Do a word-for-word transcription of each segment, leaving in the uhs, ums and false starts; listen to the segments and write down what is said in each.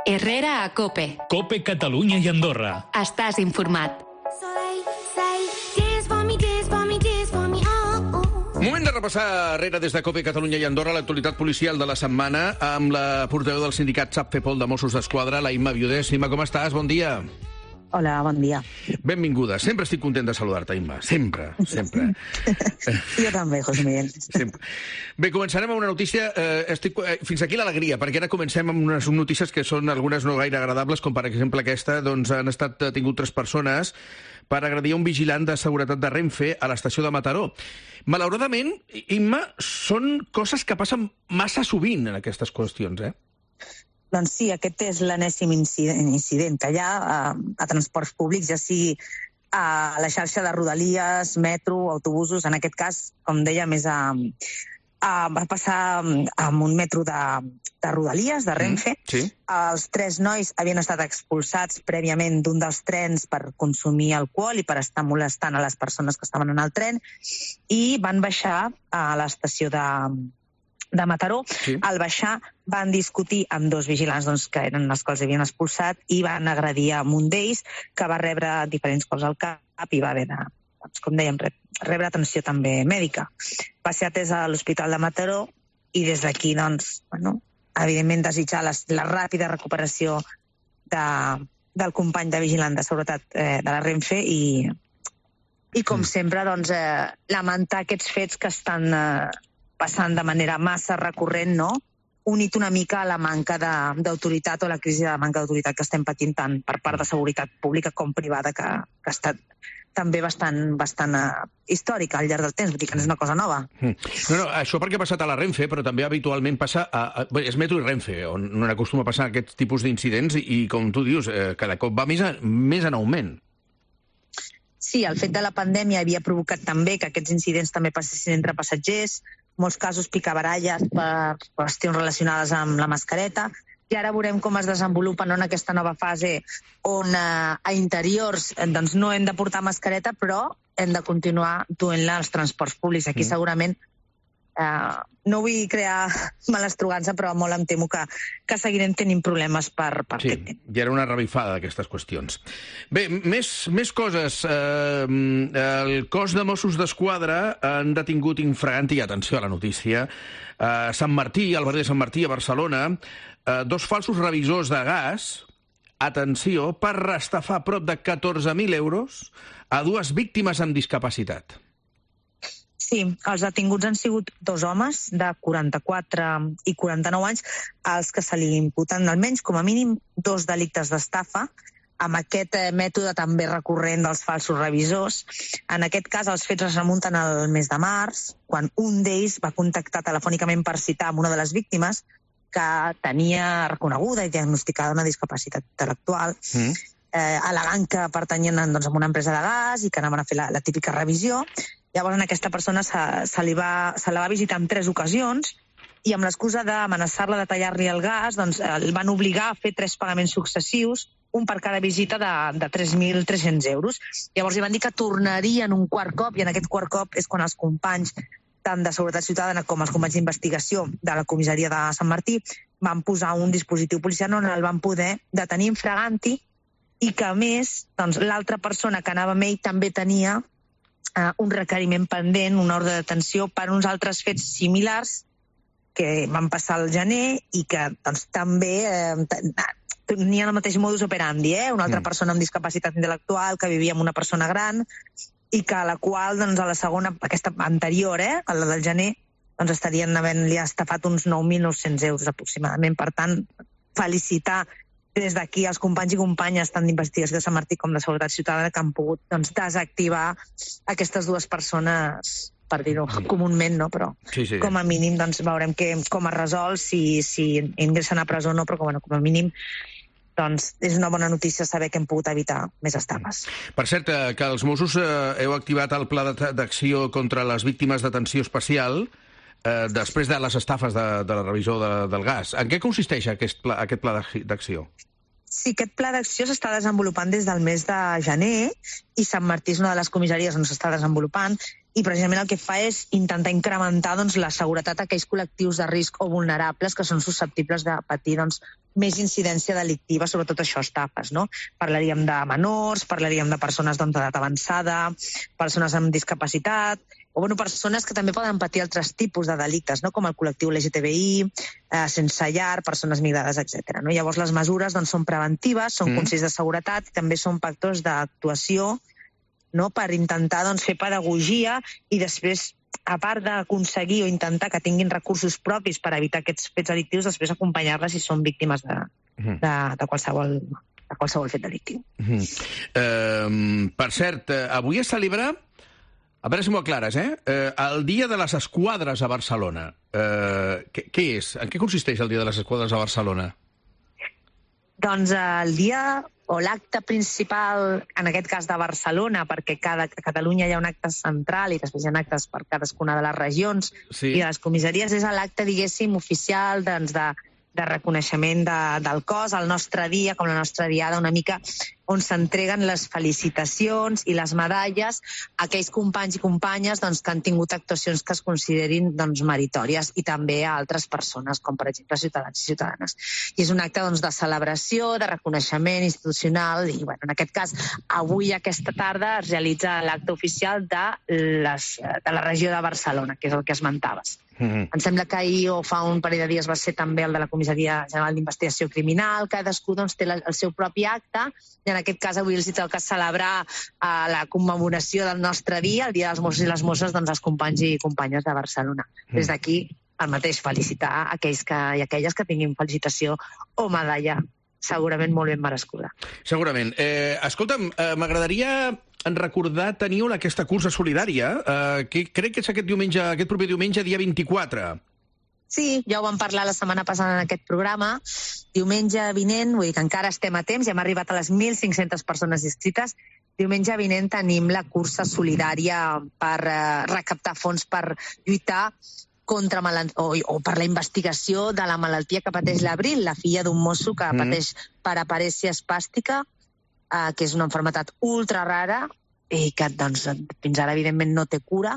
Herrera a COPE. COPE Catalunya i Andorra. Estàs informat. Moment de repassar Herrera des de COPE Catalunya i Andorra l'actualitat policial de la setmana amb la portaveu del sindicat SAPFEPOL de Mossos d'Esquadra, la Imma Viudés. Imma, com estàs? Bon dia. Hola, bon dia. Benvinguda. Sempre estic content de saludar-te, Imma. Sempre, sempre. Jo també, José Miguel. Sempre. Bé, començarem amb una notícia. Eh, estic, eh, fins aquí l'alegria, perquè ara comencem amb unes notícies que són algunes no gaire agradables, com per exemple aquesta. Doncs han estat detingut tres persones per agredir un vigilant de seguretat de Renfe a l'estació de Mataró. Malauradament, Imma, són coses que passen massa sovint en aquestes qüestions, eh? Doncs sí, aquest és l'enèsim incident, incident que hi ha a, a transports públics, ja sigui a la xarxa de rodalies, metro, autobusos. En aquest cas, com deia, més a, a, va passar amb un metro de, de rodalies, de Renfe. Mm, sí. Els tres nois havien estat expulsats prèviament d'un dels trens per consumir alcohol i per estar molestant a les persones que estaven en el tren, i van baixar a l'estació de de Mataró. Sí. Al baixar van discutir amb dos vigilants doncs, que eren els que els havien expulsat i van agredir a un d'ells, que va rebre diferents cops al cap i va haver de, doncs, com dèiem, rebre atenció també mèdica. Va ser atès a l'Hospital de Mataró i des d'aquí, doncs, bueno, evidentment desitjar la, la ràpida recuperació de, del company de vigilant de seguretat eh, de la Renfe i, i com mm. sempre, doncs, eh, lamentar aquests fets que estan eh, passant de manera massa recurrent, no? Unit una mica a la manca d'autoritat o la crisi de manca d'autoritat que estem patint tant per part de seguretat pública com privada, que, que ha estat també bastant, bastant uh, històrica al llarg del temps, vull dir que no és una cosa nova. Mm. No, no, això perquè ha passat a la Renfe, però també habitualment passa a... a bé, és Metro i Renfe, on no acostuma a passar aquests tipus d'incidents i, i, com tu dius, eh, cada cop va més, a, més en augment. Sí, el fet de la pandèmia havia provocat també que aquests incidents també passessin entre passatgers, molts casos picabaralles per qüestions relacionades amb la mascareta, i ara veurem com es desenvolupa no, en aquesta nova fase on eh, a interiors eh, doncs no hem de portar mascareta, però hem de continuar duent-la als transports públics. Aquí mm. segurament eh, no vull crear malastrugança, però molt em temo que, que seguirem tenint problemes per, per sí, aquest temps. Ja era una revifada d'aquestes qüestions. Bé, més, més coses. Eh, el cos de Mossos d'Esquadra han detingut infraganti, atenció a la notícia, a Sant Martí, al barri de Sant Martí, a Barcelona, eh, dos falsos revisors de gas, atenció, per estafar prop de catorze mil euros a dues víctimes amb discapacitat. Sí, els detinguts han sigut dos homes de quaranta-quatre i quaranta-nou anys, als que se li imputen almenys, com a mínim, dos delictes d'estafa, amb aquest eh, mètode també recurrent dels falsos revisors. En aquest cas, els fets es remunten al mes de març, quan un d'ells va contactar telefònicament per citar amb una de les víctimes que tenia reconeguda i diagnosticada una discapacitat intel·lectual, mm. eh, al·legant que pertanyien doncs, a una empresa de gas i que anaven a fer la, la típica revisió. Llavors, a aquesta persona se, se, li va, se la va visitar en tres ocasions i amb l'excusa d'amenaçar-la de tallar-li el gas, doncs, el van obligar a fer tres pagaments successius, un per cada visita de, de tres mil tres-cents euros. Llavors, li van dir que tornarien un quart cop, i en aquest quart cop és quan els companys, tant de Seguretat Ciutadana com els companys d'investigació de la comissaria de Sant Martí, van posar un dispositiu policial on el van poder detenir infraganti i que, a més, doncs, l'altra persona que anava amb ell també tenia Uh, un requeriment pendent, una ordre de detenció per uns altres fets similars que van passar al gener i que doncs, també eh, tenien el mateix modus operandi, eh? Una altra mm. persona amb discapacitat intel·lectual que vivia amb una persona gran i que a la qual, doncs, a la segona, aquesta anterior, eh, a la del gener, doncs estarien havent-li estafat uns nou mil nou-cents euros aproximadament. Per tant, felicitar des d'aquí els companys i companyes tant d'investigació de Sant Martí com de Seguretat Ciutadana que han pogut doncs, desactivar aquestes dues persones, per dir-ho comúment, no? Però sí, sí. com a mínim doncs, veurem que, com es resol, si, si ingressen a presó o no, però bueno, com a mínim doncs, és una bona notícia saber que hem pogut evitar més estafes. Per cert, que els Mossos eh, heu activat el pla d'acció contra les víctimes d'atenció especial eh, després de les estafes de, de la revisió de, del gas. En què consisteix aquest pla, aquest pla d'acció? Sí, aquest pla d'acció s'està desenvolupant des del mes de gener i Sant Martí és una de les comissaries on s'està desenvolupant i precisament el que fa és intentar incrementar doncs, la seguretat d'aquells col·lectius de risc o vulnerables que són susceptibles de patir doncs, més incidència delictiva, sobretot això, estafes, no? Parlaríem de menors, parlaríem de persones doncs, d'edat avançada, persones amb discapacitat, o bueno, persones que també poden patir altres tipus de delictes, no? Com el col·lectiu L G T B I, eh, sense llar, persones migrades, etcètera. No? Llavors, les mesures doncs, són preventives, són mm. consells de seguretat i també són factors d'actuació, no? Per intentar doncs, fer pedagogia i després, a part d'aconseguir o intentar que tinguin recursos propis per evitar aquests fets delictius, després acompanyar-les si són víctimes de, mm. de, de, qualsevol, de qualsevol fet delictiu. Mm. Uh, per cert, avui es celebra, a veure si m'ho aclares, eh? Uh, el Dia de les Esquadres a Barcelona. Uh, què, què és? En què consisteix el Dia de les Esquadres a Barcelona? Doncs el dia o l'acte principal, en aquest cas de Barcelona, perquè cada, a Catalunya hi ha un acte central i després hi ha actes per cadascuna de les regions sí. i de les comissaries, és l'acte, diguéssim, oficial doncs, de, de reconeixement de, del cos, el nostre dia, com la nostra diada, una mica on s'entreguen les felicitacions i les medalles a aquells companys i companyes doncs, que han tingut actuacions que es considerin doncs, meritòries i també a altres persones, com per exemple ciutadans i ciutadanes. I és un acte doncs, de celebració, de reconeixement institucional i bueno, en aquest cas, avui aquesta tarda es realitza l'acte oficial de, les, de la regió de Barcelona, que és el que esmentaves. Mm-hmm. Em sembla que ahir o fa un parell de dies va ser també el de la Comissaria General d'Investigació Criminal, cadascú doncs, té la, el seu propi acte i en aquest cas avui els toca celebrar uh, la commemoració del nostre dia, el Dia dels Mossos i les Mosses, doncs els companys i companyes de Barcelona. Mm. Des d'aquí, el mateix, felicitar aquells que, i aquelles que tinguin felicitació o medalla, segurament molt ben merescuda. Segurament. Eh, escolta'm, eh, m'agradaria recordar, teniu aquesta cursa solidària, eh, que crec que és aquest diumenge, aquest proper diumenge, dia vint-i-quatre. Sí, ja ho vam parlar la setmana passada en aquest programa. Diumenge vinent, vull dir que encara estem a temps, ja hem arribat a les mil cinc-centes persones inscrites. Diumenge vinent tenim la cursa solidària per eh, recaptar fons per lluitar contra o, o per la investigació de la malaltia que pateix l'Abril, la filla d'un mosso que mm. pateix paraparèsia espàstica, eh, que és una malaltia ultra rara, i que doncs, fins ara, evidentment, no té cura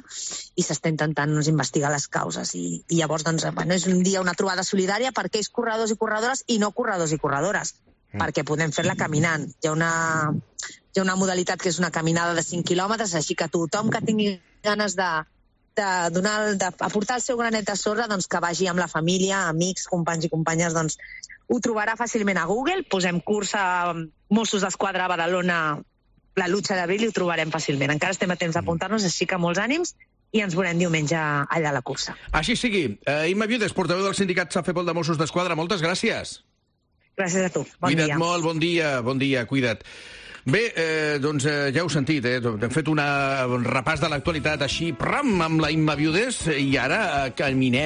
i s'està intentant doncs, investigar les causes. I, i llavors, doncs, bueno, és un dia, una trobada solidària per aquells corredors i corredores i no corredors i corredores, mm. perquè podem fer-la caminant. Hi ha, una, hi ha una modalitat que és una caminada de cinc quilòmetres, així que tothom que tingui ganes de, de donar, de aportar el seu granet de sorra, doncs, que vagi amb la família, amics, companys i companyes, doncs, ho trobarà fàcilment a Google. Posem cursa Mossos d'Esquadra a Badalona, la lucha d'abril, i ho trobarem fàcilment. Encara estem a temps d'apuntar-nos, així que molts ànims i ens veurem diumenge allà a la cursa. Així sigui. Uh, Imma Viudes, portaveu del sindicat SAFEPOL de Mossos d'Esquadra, moltes gràcies. Gràcies a tu. Bon cuida't dia. molt, bon dia, bon dia, cuida't. Bé, eh, doncs eh, ja heu sentit, eh? Hem fet una, un repàs de l'actualitat així, pram, amb la Imma Viudes, i ara eh, caminem